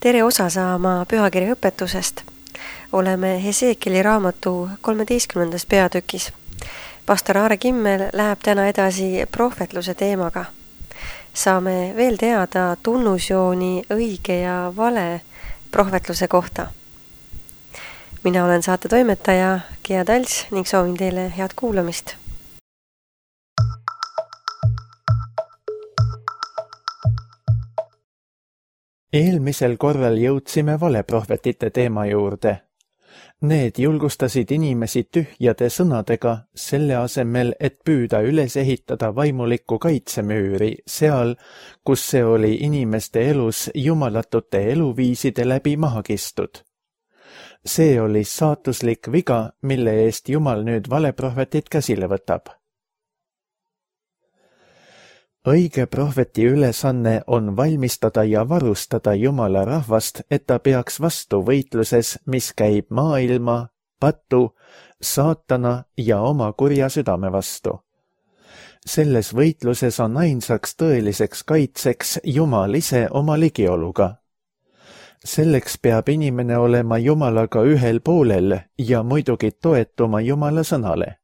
Tere osa saama pühakirja õpetusest. Oleme Hesekieli raamatu 13. peatükis. Pastor Aare Kimmel läheb täna edasi prohvetluse teemaga. Saame veel teada tunnusjooni õige ja vale prohvetluse kohta. Mina olen saate toimetaja Gea Talts ning soovin teile head kuulamist. Eelmisel korral jõudsime valeprohvetite teema juurde. Need julgustasid inimesi tühjade sõnadega selle asemel, et püüda üles ehitada vaimulikku kaitsemüüri seal, kus see oli inimeste elus jumalatute eluviiside läbi maha kistud. See oli saatuslik viga, mille eest Jumal nüüd valeprohvetit käsile võtab. Õige prohveti ülesanne on valmistada ja varustada Jumala rahvast, et ta peaks vastu võitluses, mis käib maailma, patu, saatana ja oma kurja südame vastu. Selles võitluses on ainsaks tõeliseks kaitseks Jumal ise oma ligioluga. Selleks peab inimene olema Jumalaga ühel poolel ja muidugi toetuma Jumala sõnale.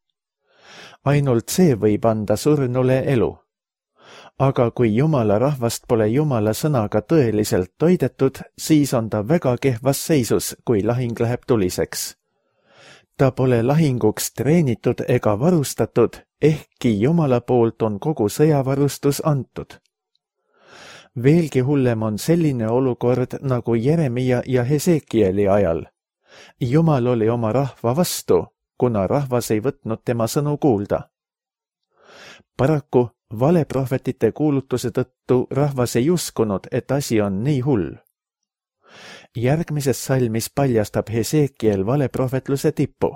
Ainult see võib anda surnule elu. Aga kui Jumala rahvast pole Jumala sõnaga tõeliselt toidetud, siis on ta väga kehvas seisus, kui lahing läheb tuliseks. Ta pole lahinguks treenitud ega varustatud, ehkki Jumala poolt on kogu sõjavarustus antud. Veelgi hullem on selline olukord nagu Jeremia ja Hesekieli ajal. Jumal oli oma rahva vastu, kuna rahvas ei võtnud tema sõnu kuulda. Paraku valeprohvetite kuulutuse tõttu rahvas ei uskunud, et asi on nii hull. Järgmises salmis paljastab Hesekiel valeprohvetluse tippu.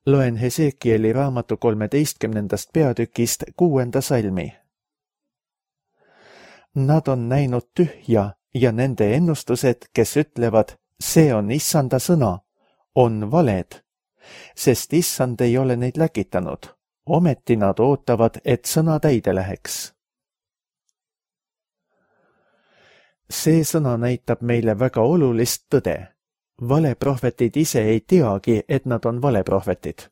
Loen Hesekieli raamatu 13. peatükist 6. salmi. Nad on näinud tühja ja nende ennustused, kes ütlevad, see on Issanda sõna, on valed, sest Issand ei ole neid läkitanud. Ometi nad ootavad, et sõna täide läheks. See sõna näitab meile väga olulist tõde. Valeprohvetid ise ei teagi, et nad on valeprohvetid.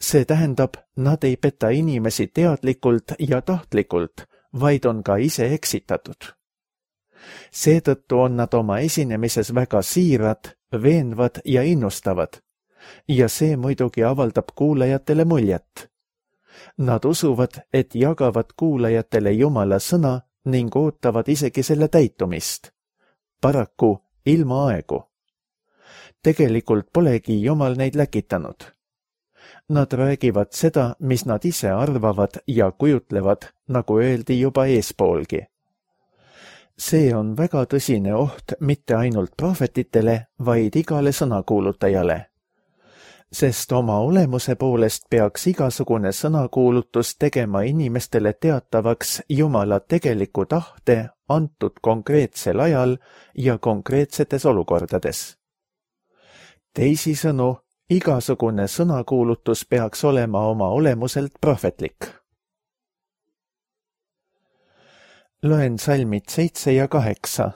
See tähendab, nad ei peta inimesi teadlikult ja tahtlikult, vaid on ka ise eksitatud. Seetõttu on nad oma esinemises väga siirad, veenvad ja innustavad. Ja see muidugi avaldab kuulajatele muljet. Nad usuvad, et jagavad kuulajatele Jumala sõna ning ootavad isegi selle täitumist. Paraku ilma aegu. Tegelikult polegi Jumal neid läkitanud. Nad räägivad seda, mis nad ise arvavad ja kujutlevad, nagu öeldi juba eespoolgi. See on väga tõsine oht mitte ainult prohvetitele, vaid igale sõnakuulutajale. Sest oma olemuse poolest peaks igasugune sõnakuulutus tegema inimestele teatavaks Jumala tegeliku tahte antud konkreetsel ajal ja konkreetsetes olukordades. Teisisõnu, igasugune sõnakuulutus peaks olema oma olemuselt prohvetlik. Loen salmid 7 ja 8.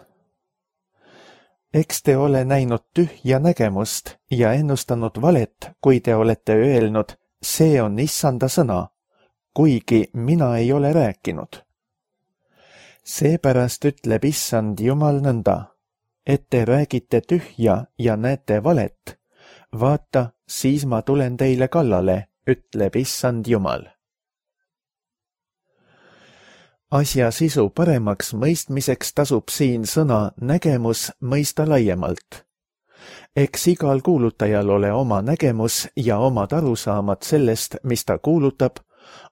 Eks te ole näinud tühja nägemust ja ennustanud valet, kui te olete öelnud, see on Issanda sõna, kuigi mina ei ole rääkinud. Seepärast ütleb Issand Jumal nõnda, et te räägite tühja ja näete valet. Vaata, siis ma tulen teile kallale, ütleb Issand Jumal. Asja sisu paremaks mõistmiseks tasub siin sõna nägemus mõista laiemalt. Eks igal kuulutajal ole oma nägemus ja omad arusaamad sellest, mis ta kuulutab,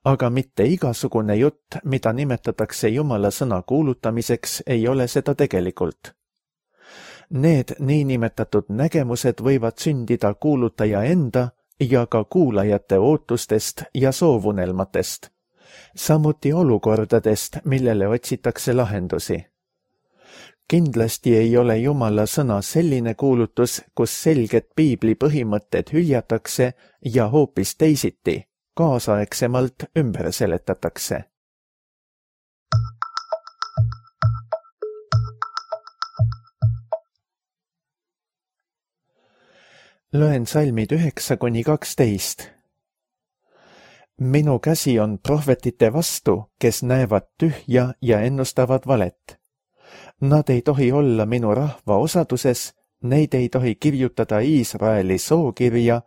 aga mitte igasugune jutt, mida nimetatakse Jumala sõna kuulutamiseks, ei ole seda tegelikult. Need niinimetatud nägemused võivad sündida kuulutaja enda ja ka kuulajate ootustest ja soovunelmatest. Samuti olukordadest, millele otsitakse lahendusi. Kindlasti ei ole Jumala sõna selline kuulutus, kus selged piibli põhimõtted hüljatakse ja hoopis teisiti, kaasaegsemalt ümber seletatakse. Loen salmid 9-12. Minu käsi on prohvetite vastu, kes näevad tühja ja ennustavad valet. Nad ei tohi olla minu rahva osaduses, neid ei tohi kirjutada Iisraeli sookirja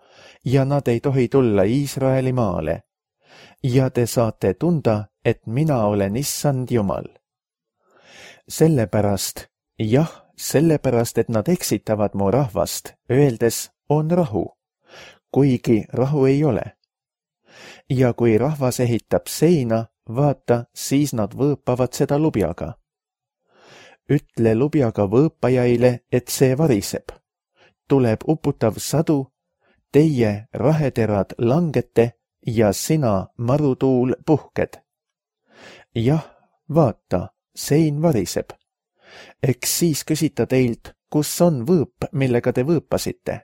ja nad ei tohi tulla Iisraeli maale. Ja te saate tunda, et mina olen Issand Jumal. Sellepärast, et nad eksitavad mu rahvast, öeldes on rahu, kuigi rahu ei ole. Ja kui rahvas ehitab seina, vaata, siis nad võõpavad seda lubjaga. Ütle lubjaga võõpajaile, et see variseb. Tuleb uputav sadu, teie raheterad langete ja sina, marutuul, puhked. Jah, vaata, sein variseb. Eks siis küsita teilt, kus on võõp, millega te võõpasite?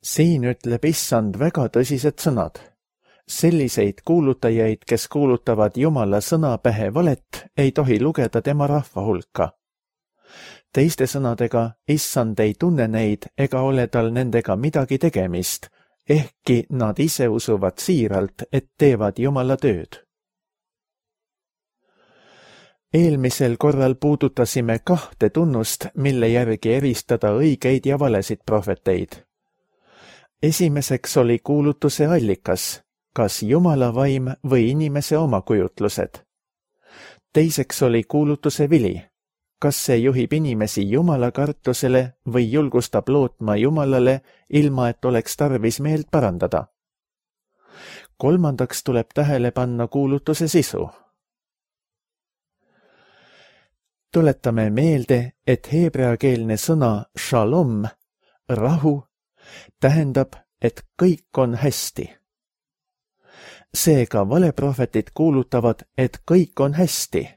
Siin ütleb Issand väga tõsised sõnad. Selliseid kuulutajaid, kes kuulutavad Jumala sõna pähe valet, ei tohi lugeda tema rahva hulka. Teiste sõnadega, Issand ei tunne neid ega ole tal nendega midagi tegemist, ehkki nad ise usuvad siiralt, et teevad Jumala tööd. Eelmisel korral puudutasime 2 tunnust, mille järgi eristada õigeid ja valesid prohveteid. Esimeseks oli kuulutuse allikas, kas Jumala vaim või inimese omakujutlused. Teiseks oli kuulutuse vili, kas see juhib inimesi Jumala kartusele või julgustab lootma Jumalale, ilma et oleks tarvis meelt parandada. Kolmandaks tuleb tähele panna kuulutuse sisu. Tuletame meelde, et heebreakeelne sõna shalom, rahu, tähendab, et kõik on hästi. Seega valeprohvetid kuulutavad, et kõik on hästi,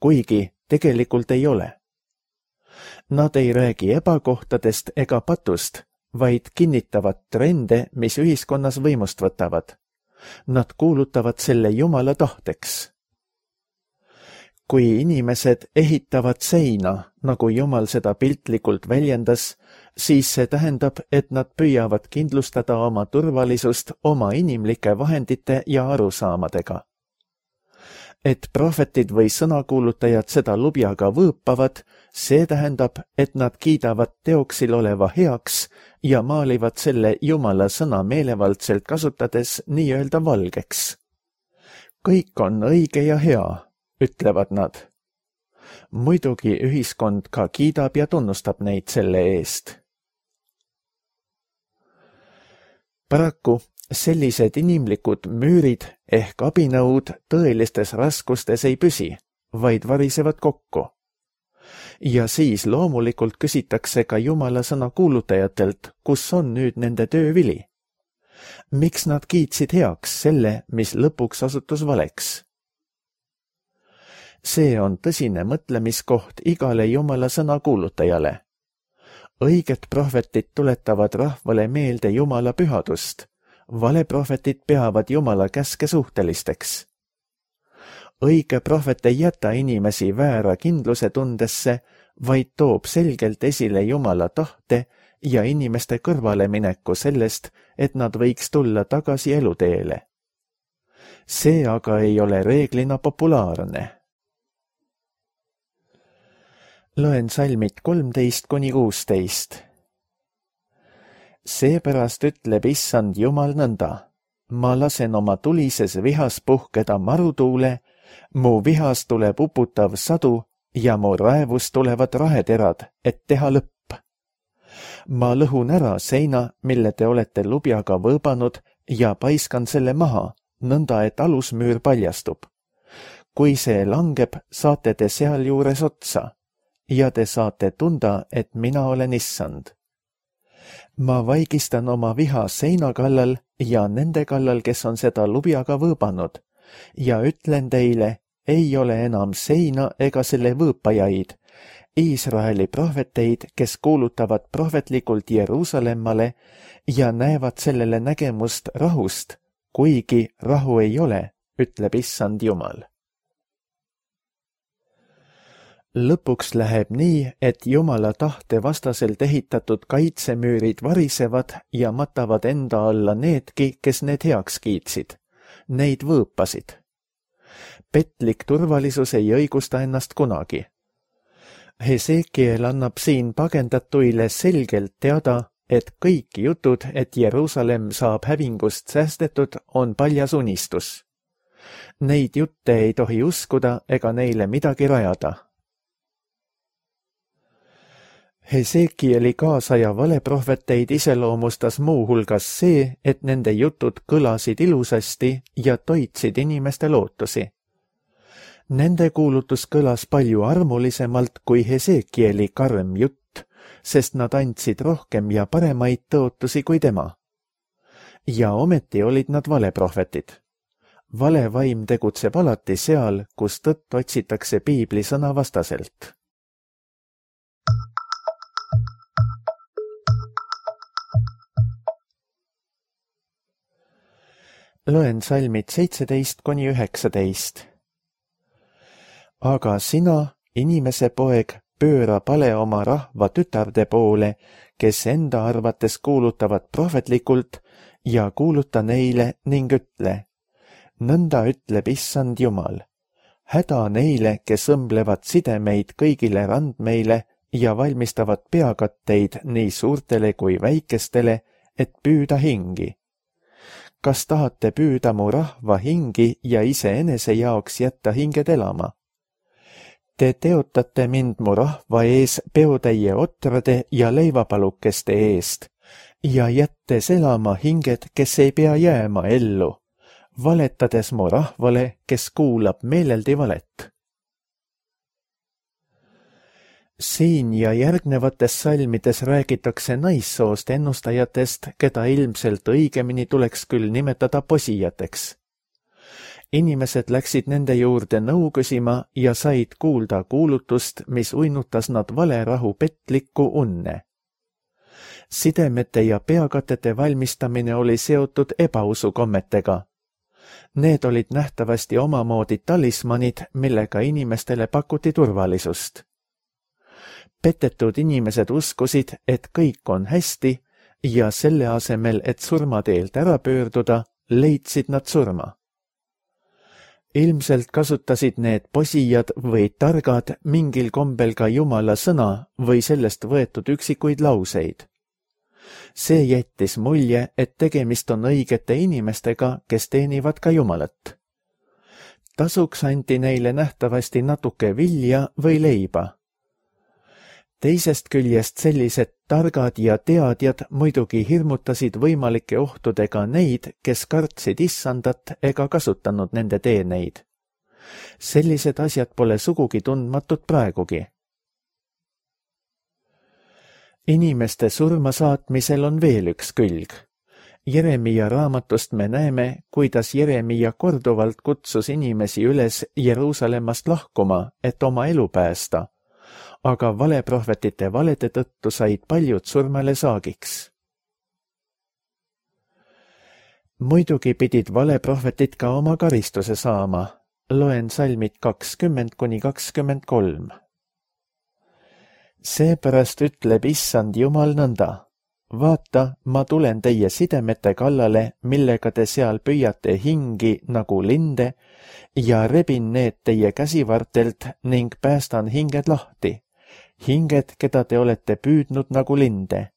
kuigi tegelikult ei ole. Nad ei räägi ebakohtadest ega patust, vaid kinnitavad trende, mis ühiskonnas võimust võtavad. Nad kuulutavad selle Jumala tahteks. Kui inimesed ehitavad seina, nagu Jumal seda piltlikult väljendas, siis see tähendab, et nad püüavad kindlustada oma turvalisust oma inimlike vahendite ja arusaamadega. Et prohvetid või sõnakuulutajad seda lubjaga võõpavad, see tähendab, et nad kiidavad teoksil oleva heaks ja maalivad selle Jumala sõna meelevaldselt kasutades nii-öelda valgeks. Kõik on õige ja hea, ütlevad nad. Muidugi ühiskond ka kiidab ja tunnustab neid selle eest. Paraku sellised inimlikud müürid ehk abinõud tõelistes raskustes ei püsi, vaid varisevad kokku. Ja siis loomulikult küsitakse ka Jumala sõna kuulutajatelt, kus on nüüd nende töövili. Miks nad kiitsid heaks selle, mis lõpuks osutus valeks? See on tõsine mõtlemiskoht igale Jumala sõna kuulutajale. Õiged prohvetid tuletavad rahvale meelde Jumala pühadust. Valeprohvetid peavad Jumala käske suhtelisteks. Õige prohvet ei jäta inimesi väära kindluse tundesse, vaid toob selgelt esile Jumala tahte ja inimeste kõrvalemineku sellest, et nad võiks tulla tagasi eluteele. See aga ei ole reeglina populaarne. Loen salmid 13-16. Seepärast ütleb Issand Jumal nõnda. Ma lasen oma tulises vihas puhkeda marutuule, mu vihas tuleb uputav sadu ja mu raevus tulevad raheterad, et teha lõpp. Ma lõhun ära seina, mille te olete lubjaga võõbanud ja paiskan selle maha, nõnda et alusmüür paljastub. Kui see langeb, saate te sealjuures otsa. Ja te saate tunda, et mina olen Issand. Ma vaigistan oma viha seina kallal ja nende kallal, kes on seda lubjaga võõbanud, ja ütlen teile, ei ole enam seina ega selle võõpajaid, Iisraeli prohveteid, kes kuulutavad prohvetlikult Jeruusalemmale ja näevad sellele nägemust rahust, kuigi rahu ei ole, ütleb Issand Jumal. Lõpuks läheb nii, et Jumala tahte vastaselt ehitatud kaitsemüürid varisevad ja matavad enda alla needki, kes need heaks kiitsid. Neid võõpasid. Petlik turvalisus ei õigusta ennast kunagi. Hesekiel annab siin pagendatuile selgelt teada, et kõik jutud, et Jeruusalemm saab hävingust säästetud, on paljas unistus. Neid jutte ei tohi uskuda ega neile midagi rajada. Hesekieli kaasaja valeprohveteid iseloomustas muuhulgas see, et nende jutud kõlasid ilusasti ja toitsid inimeste lootusi. Nende kuulutus kõlas palju armulisemalt kui Hesekieli karm jutt, sest nad andsid rohkem ja paremaid tõotusi kui tema. Ja ometi olid nad valeprohvetid. Vale vaim tegutseb alati seal, kus tõtt otsitakse piibli sõna vastaselt. Loen salmid 17–19. Aga sina, inimese poeg, pööra pale oma rahva tütarde poole, kes enda arvates kuulutavad prohvetlikult, ja kuuluta neile ning ütle. Nõnda ütleb Issand Jumal. Häda neile, kes õmblevad sidemeid kõigile randmeile ja valmistavad peakatteid nii suurtele kui väikestele, et püüda hingi. Kas tahate püüda mu rahva hingi ja iseenese jaoks jätta hinged elama? Te teotate mind mu rahva ees peotäie otrade ja leivapalukeste eest ja jättes elama hinged, kes ei pea jääma ellu, valetades mu rahvale, kes kuulab meeleldi valet. Siin ja järgnevates salmides räägitakse naissoost ennustajatest, keda ilmselt õigemini tuleks küll nimetada posijateks. Inimesed läksid nende juurde nõu küsima ja said kuulda kuulutust, mis uinutas nad valerahu petlikku unne. Sidemete ja peakatete valmistamine oli seotud ebausukommetega. Need olid nähtavasti omamoodi talismanid, millega inimestele pakuti turvalisust. Petetud inimesed uskusid, et kõik on hästi ja selle asemel, et surmateelt ära pöörduda, leidsid nad surma. Ilmselt kasutasid need posijad või targad mingil kombel ka Jumala sõna või sellest võetud üksikuid lauseid. See jättis mulje, et tegemist on õigete inimestega, kes teenivad ka Jumalat. Tasuks anti neile nähtavasti natuke vilja või leiba. Teisest küljest sellised targad ja teadjad muidugi hirmutasid võimalike ohtudega neid, kes kartsid Issandat ega kasutanud nende teeneid. Sellised asjad pole sugugi tundmatud praegugi. Inimeste surma saatmisel on veel üks külg. Jeremia raamatust me näeme, kuidas Jeremia korduvalt kutsus inimesi üles Jeruusalemmast lahkuma, et oma elu päästa. Aga valeprohvetite valede tõttu said paljud surmale saagiks. Muidugi pidid valeprohvetid ka oma karistuse saama. Loen salmid 20–23. Seepärast ütleb Issand Jumal nõnda. Vaata, ma tulen teie sidemete kallale, millega te seal püüate hingi nagu linde ja rebin need teie käsivartelt ning päästan hinged lahti. Hinged, keda te olete püüdnud nagu linde.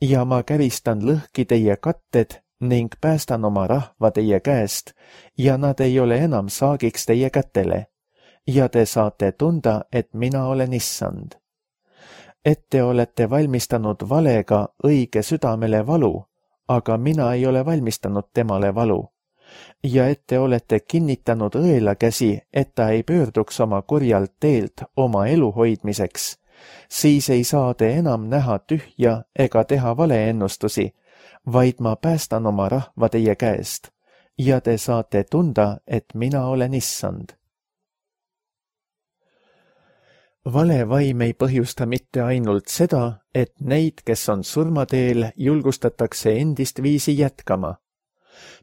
Ja ma käristan lõhki teie katted ning päästan oma rahva teie käest ja nad ei ole enam saagiks teie kätele. Ja te saate tunda, et mina olen Issand. Et te olete valmistanud valega õige südamele valu, aga mina ei ole valmistanud temale valu. Ja et te olete kinnitanud õela käsi, et ta ei pöörduks oma kurjalt teelt oma elu hoidmiseks, siis ei saa te enam näha tühja ega teha valeennustusi, vaid ma päästan oma rahva teie käest ja te saate tunda, et mina olen Issand. Vale vaim ei põhjusta mitte ainult seda, et neid, kes on surmateel, julgustatakse endist viisi jätkama.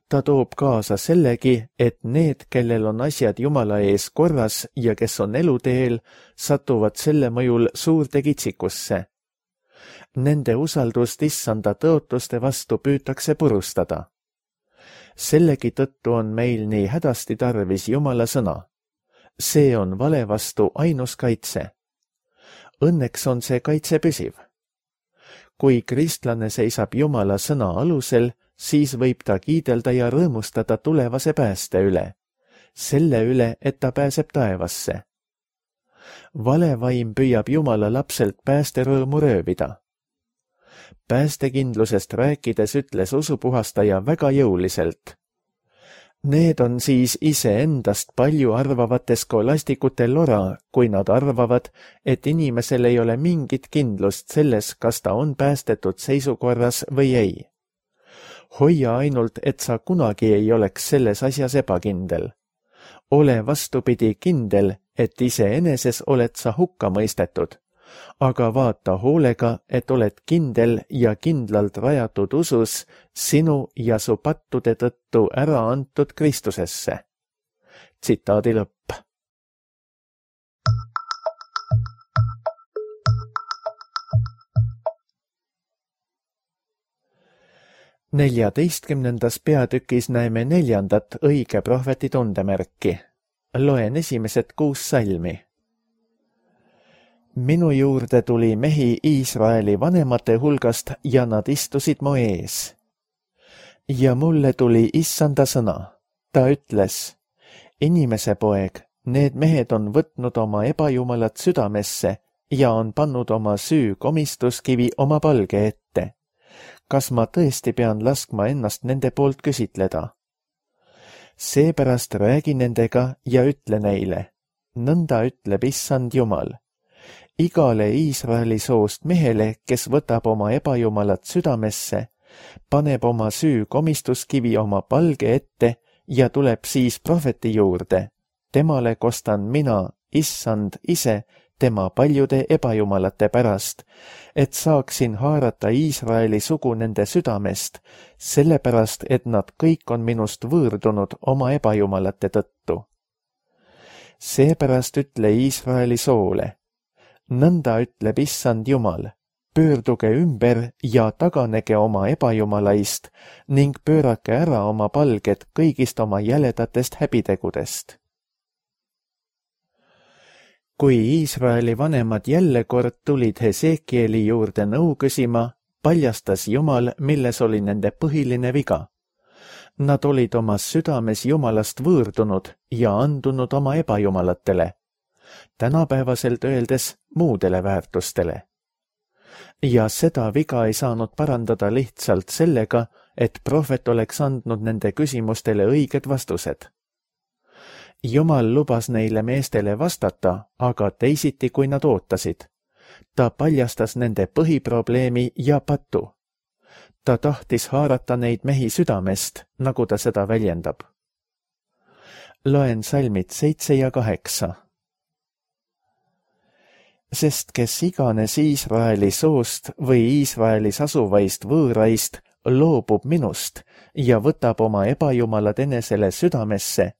ta toob kaasa sellegi, et need, kellel on asjad Jumala ees korras ja kes on eluteel, satuvad selle mõjul suurde kitsikusse. Nende usaldust issanda tõotuste vastu püütakse purustada. Sellegi tõttu on meil nii hädasti tarvis Jumala sõna. See on vale vastu ainus kaitse. Õnneks on see kaitse püsiv. Kui kristlane seisab Jumala sõna alusel, siis võib ta kiidelda ja rõõmustada tulevase pääste üle, selle üle, et ta pääseb taevasse. Vale vaim püüab Jumala lapselt päästerõõmu röövida. Päästekindlusest rääkides ütles usupuhastaja väga jõuliselt. Need on siis iseendast palju arvavate skolastikute lora, kui nad arvavad, et inimesel ei ole mingit kindlust selles, kas ta on päästetud seisukorras või ei. Hoia ainult, et sa kunagi ei oleks selles asjas ebakindel. Ole vastupidi kindel, et iseeneses oled sa hukka mõistetud, aga vaata hoolega, et oled kindel ja kindlalt rajatud usus sinu ja su pattude tõttu ära antud Kristusesse. Tsitaadi lõpp. Neljateistkümnendas peatükis näeme 4. õige prohveti tundemärki. Loen esimesed 6 salmi. Minu juurde tuli mehi Iisraeli vanemate hulgast ja nad istusid mu ees. Ja mulle tuli issanda sõna. Ta ütles, inimese poeg, need mehed on võtnud oma ebajumalat südamesse ja on pannud oma süü komistuskivi oma palge ette. Kas ma tõesti pean laskma ennast nende poolt küsitleda? Seepärast räägi nendega ja ütle neile, nõnda ütleb issand Jumal. Igale Iisraeli soost mehele, kes võtab oma ebajumalat südamesse, paneb oma süü komistuskivi oma palge ette ja tuleb siis prohveti juurde. Temale kostan mina, issand ise, tema paljude ebajumalate pärast, et saaksin haarata Iisraeli sugu nende südamest, sellepärast, et nad kõik on minust võõrdunud oma ebajumalate tõttu. Seepärast ütle Iisraeli soole, nõnda ütleb issand Jumal, pöörduge ümber ja taganege oma ebajumalaist ning pöörake ära oma palged kõigist oma jäledatest häbitegudest. Kui Iisraeli vanemad jälle kord tulid Hesekieli juurde nõu küsima, paljastas Jumal, milles oli nende põhiline viga. Nad olid oma südames Jumalast võõrdunud ja andunud oma ebajumalatele, tänapäevaselt öeldes muudele väärtustele. Ja seda viga ei saanud parandada lihtsalt sellega, et prohvet oleks andnud nende küsimustele õiged vastused. Jumal lubas neile meestele vastata, aga teisiti kui nad ootasid. Ta paljastas nende põhiprobleemi ja patu. Ta tahtis haarata neid mehi südamest, nagu ta seda väljendab. Loen salmid 7 ja 8. Sest kes iganes Iisraeli soost või Iisraelis asuvaist võõraist loobub minust ja võtab oma ebajumalad enesele südamesse,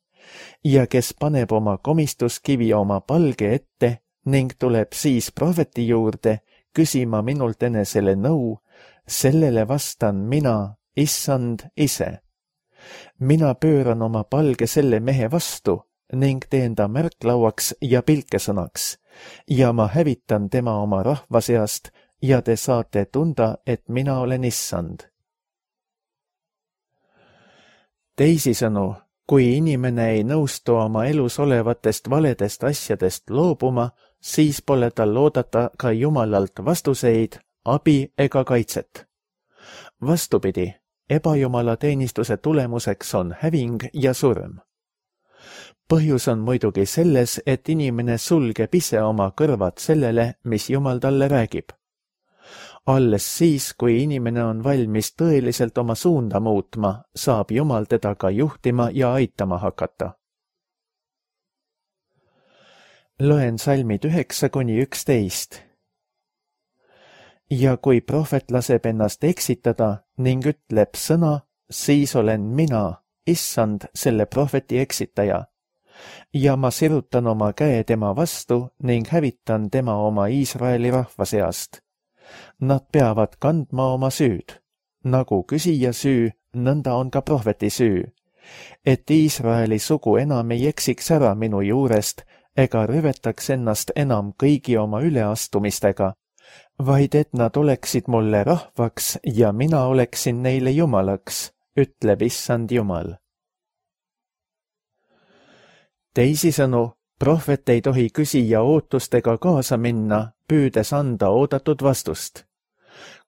ja kes paneb oma komistuskivi oma palge ette ning tuleb siis prohveti juurde küsima minult enesele nõu, sellele vastan mina, issand ise. Mina pööran oma palge selle mehe vastu ning teen ta märklauaks ja pilkesõnaks ja ma hävitan tema oma rahva seast ja te saate tunda, et mina olen issand. Teisisõnu, kui inimene ei nõustu oma elus olevatest valedest asjadest loobuma, siis pole tal oodata ka Jumalalt vastuseid, abi ega kaitset. Vastupidi, ebajumala teenistuse tulemuseks on häving ja surm. Põhjus on muidugi selles, et inimene sulgeb ise oma kõrvad sellele, mis Jumal talle räägib. Alles siis, kui inimene on valmis tõeliselt oma suunda muutma, saab Jumal teda ka juhtima ja aitama hakata. Loen salmid 9–11. Ja kui prohvet laseb ennast eksitada ning ütleb sõna, siis olen mina, issand, selle prohveti eksitaja. Ja ma sirutan oma käe tema vastu ning hävitan tema oma Iisraeli rahva seast. Nad peavad kandma oma süüd. Nagu küsija süü, nõnda on ka prohveti süü. Et Iisraeli sugu enam ei eksiks ära minu juurest ega rüvetaks ennast enam kõigi oma üleastumistega, vaid et nad oleksid mulle rahvaks ja mina oleksin neile jumalaks, ütleb issand Jumal. Teisisõnu, prohvet ei tohi küsija ootustega kaasa minna, püüdes anda oodatud vastust.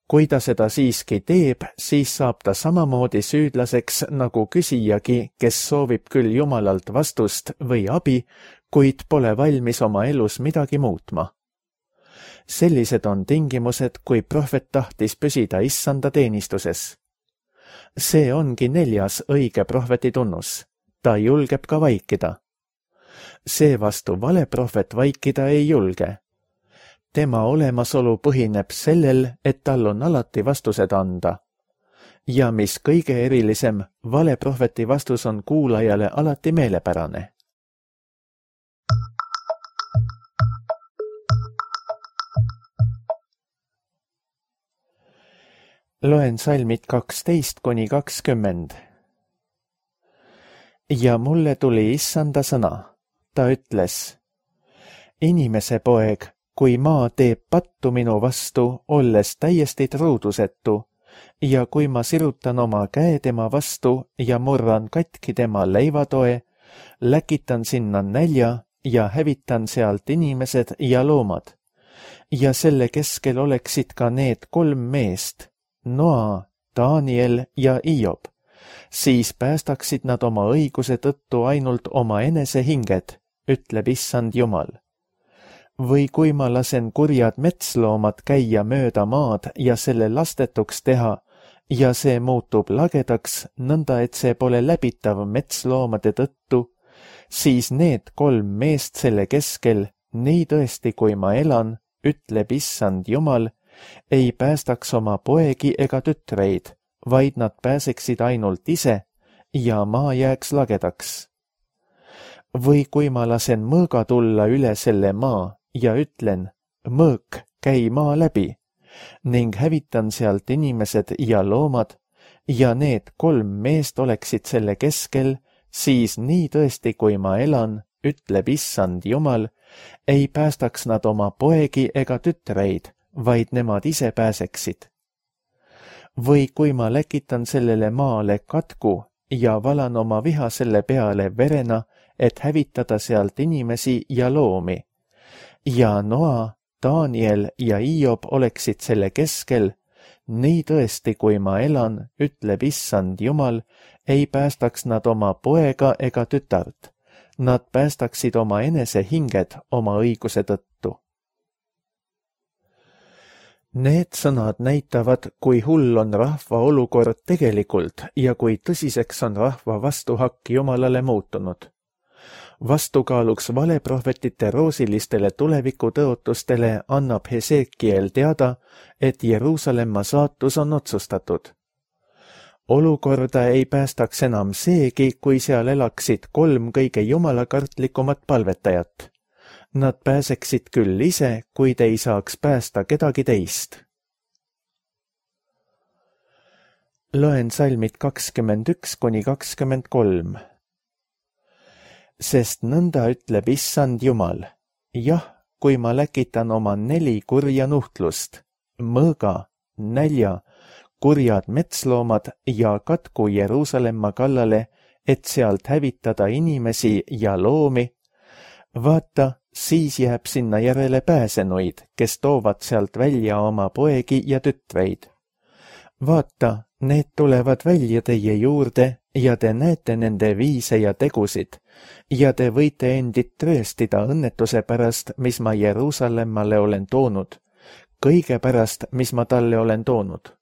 Kui ta seda siiski teeb, siis saab ta samamoodi süüdlaseks nagu küsijagi, kes soovib küll Jumalalt vastust või abi, kuid pole valmis oma elus midagi muutma. Sellised on tingimused, kui prohvet tahtis püsida issanda teenistuses. See ongi 4. õige prohveti tunnus. Ta julgeb ka vaikida. Seevastu vale prohvet vaikida ei julge. Tema olemasolu põhineb sellel, et tal on alati vastused anda. Ja mis kõige erilisem, vale prohveti vastus on kuulajale alati meelepärane. Loen salmid 12–20. Ja mulle tuli issanda sõna. Ta ütles, inimese poeg, kui maa teeb pattu minu vastu, olles täiesti truudusetu, ja kui ma sirutan oma käe tema vastu ja murran katki tema leivatoe, läkitan sinna nälja ja hävitan sealt inimesed ja loomad. Ja selle keskel oleksid ka need 3 meest, Noa, Daniel ja Iob, siis päästaksid nad oma õiguse tõttu ainult oma enese hinged, ütleb issand Jumal. Või kui ma lasen kurjad metsloomad käia mööda maad ja selle lastetuks teha, ja see muutub lagedaks, nõnda et see pole läbitav metsloomade tõttu, siis need 3 meest selle keskel, nii tõesti kui ma elan, ütleb issand Jumal, ei päästaks oma poegi ega tütreid, vaid nad pääseksid ainult ise ja maa jääks lagedaks. Või kui ma lasen mõõga tulla üle selle maa ja ütlen, mõõk, käi maa läbi, ning hävitan sealt inimesed ja loomad, ja need 3 meest oleksid selle keskel, siis nii tõesti kui ma elan, ütleb issand Jumal, ei päästaks nad oma poegi ega tütreid, vaid nemad ise pääseksid. Või kui ma läkitan sellele maale katku ja valan oma viha selle peale verena, et hävitada sealt inimesi ja loomi. Ja Noa, Daniel ja Iob oleksid selle keskel, nii tõesti kui ma elan, ütleb issand Jumal, ei päästaks nad oma poega ega tütart. Nad päästaksid oma enese hinged oma õiguse tõttu. Need sõnad näitavad, kui hull on rahva olukord tegelikult ja kui tõsiseks on rahva vastuhakk Jumalale muutunud. Vastukaaluks valeprohvetite roosilistele tulevikutõotustele annab Hesekiel teada, et Jeruusalemma saatus on otsustatud. Olukorda ei päästaks enam seegi, kui seal elaksid 3 kõige jumalakartlikumat palvetajat. Nad pääseksid küll ise, kuid ei saaks päästa kedagi teist. Loen salmid 21–23. Sest nõnda ütleb issand Jumal, jah, kui ma läkitan oma 4 kurja nuhtlust, mõõga, nälja, kurjad metsloomad ja katku Jeruusalemma kallale, et sealt hävitada inimesi ja loomi, vaata, siis jääb sinna järele pääsenuid, kes toovad sealt välja oma poegi ja tütreid. Vaata, need tulevad välja teie juurde ja te näete nende viise ja tegusid ja te võite endid trööstida õnnetuse pärast, mis ma Jeruusalemmale olen toonud, kõige pärast, mis ma talle olen toonud.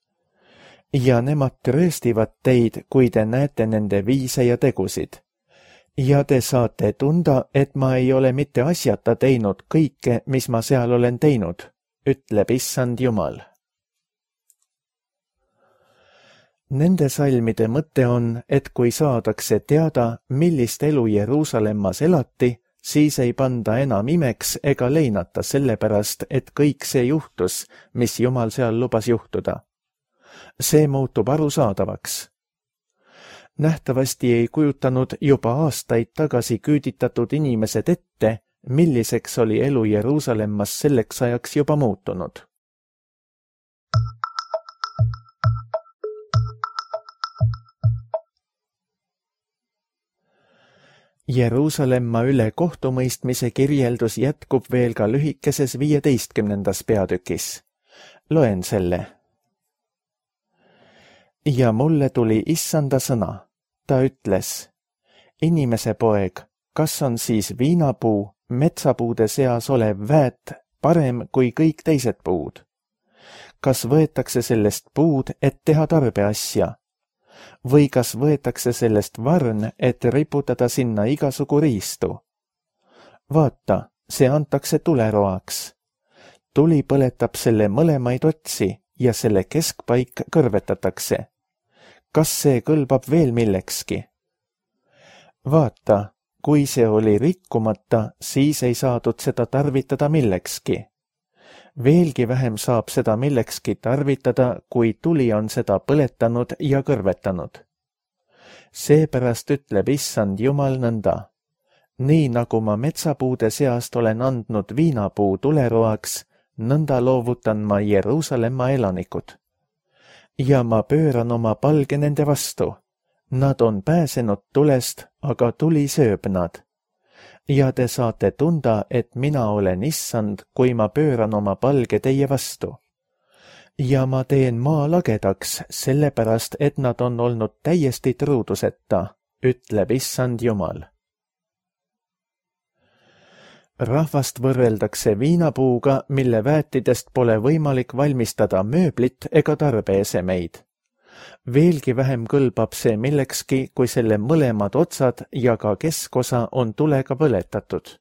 Ja nemad trööstivad teid, kui te näete nende viise ja tegusid. Ja te saate tunda, et ma ei ole mitte asjata teinud kõike, mis ma seal olen teinud, ütleb issand Jumal. Nende salmide mõte on, et kui saadakse teada, millist elu Jeruusalemmas elati, siis ei panda enam imeks ega leinata sellepärast, et kõik see juhtus, mis Jumal seal lubas juhtuda. See muutub arusaadavaks. Nähtavasti ei kujutanud juba aastaid tagasi küüditatud inimesed ette, milliseks oli elu Jeruusalemmas selleks ajaks juba muutunud. Jeruusalemma üle kohtumõistmise kirjeldus jätkub veel ka lühikeses 15. peatükis. Loen selle. Ja mulle tuli issanda sõna. Ta ütles, inimese poeg, kas on siis viinapuu, metsapuude seas olev väet parem kui kõik teised puud? Kas võetakse sellest puud, et teha tarbeasja? Või kas võetakse sellest varn, et riputada sinna igasugu riistu? Vaata, see antakse tuleroaks. Tuli põletab selle mõlemaid otsi ja selle keskpaik kõrvetatakse. Kas see kõlbab veel millekski? Vaata, kui see oli rikkumata, siis ei saadud seda tarvitada millekski. Veelgi vähem saab seda millekski tarvitada, kui tuli on seda põletanud ja kõrvetanud. Seepärast ütleb issand Jumal nõnda. Nii nagu ma metsapuude seast olen andnud viinapuu tuleroaks, nõnda loovutan ma Jeruusalemma elanikud. Ja ma pööran oma palge nende vastu. Nad on pääsenud tulest, aga tuli sööb nad. Ja te saate tunda, et mina olen issand, kui ma pööran oma palge teie vastu. Ja ma teen maa lagedaks, sellepärast, et nad on olnud täiesti truuduseta, ütleb issand Jumal. Rahvast võrreldakse viinapuuga, mille väetidest pole võimalik valmistada mööblit ega tarbeesemeid. Veelgi vähem kõlbab see millekski, kui selle mõlemad otsad ja ka keskosa on tulega põletatud.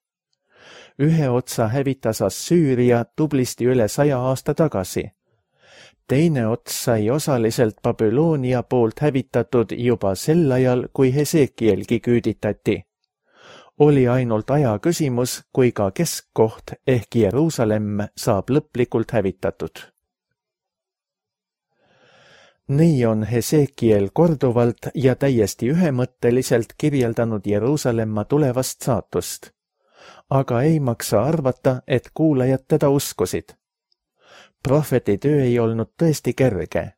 Ühe otsa hävitas Assüüria tublisti üle 100 aasta tagasi. Teine ots sai osaliselt Babyloonia poolt hävitatud juba sel ajal, kui Hesekielgi küüditati. Oli ainult aja küsimus, kui ka keskkoht ehk Jeruusalemm saab lõplikult hävitatud. Nii on Hesekiel korduvalt ja täiesti ühemõtteliselt kirjeldanud Jeruusalemma tulevast saatust. Aga ei maksa arvata, et kuulajad teda uskusid. Prohveti töö ei olnud tõesti kerge.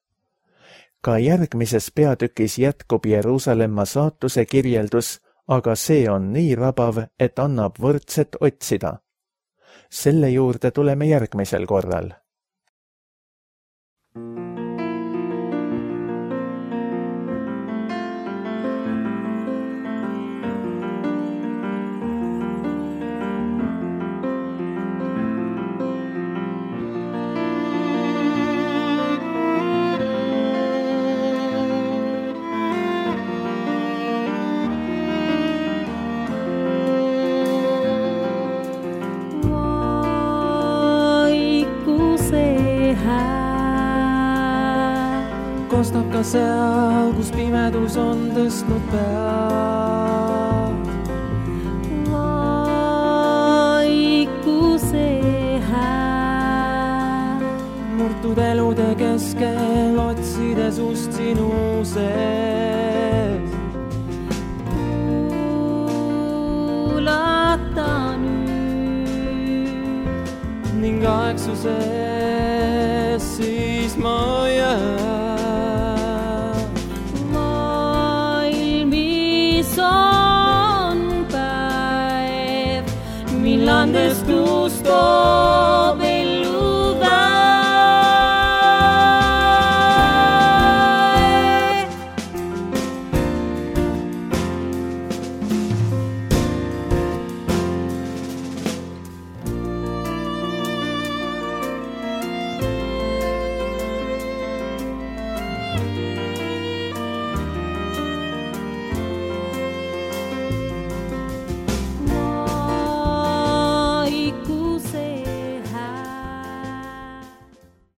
Ka järgmises peatükis jätkub Jeruusalemma saatuse kirjeldus, aga see on nii rabav, et annab võrdset otsida. Selle juurde tuleme järgmisel korral. Kostab ka seal, kus pimedus on tõstnud pead. Vaikuse hääl. Murtud elude keskel otsides ust sinu sees. Kuulata nüüd. Ning aegsuses siis ma jään.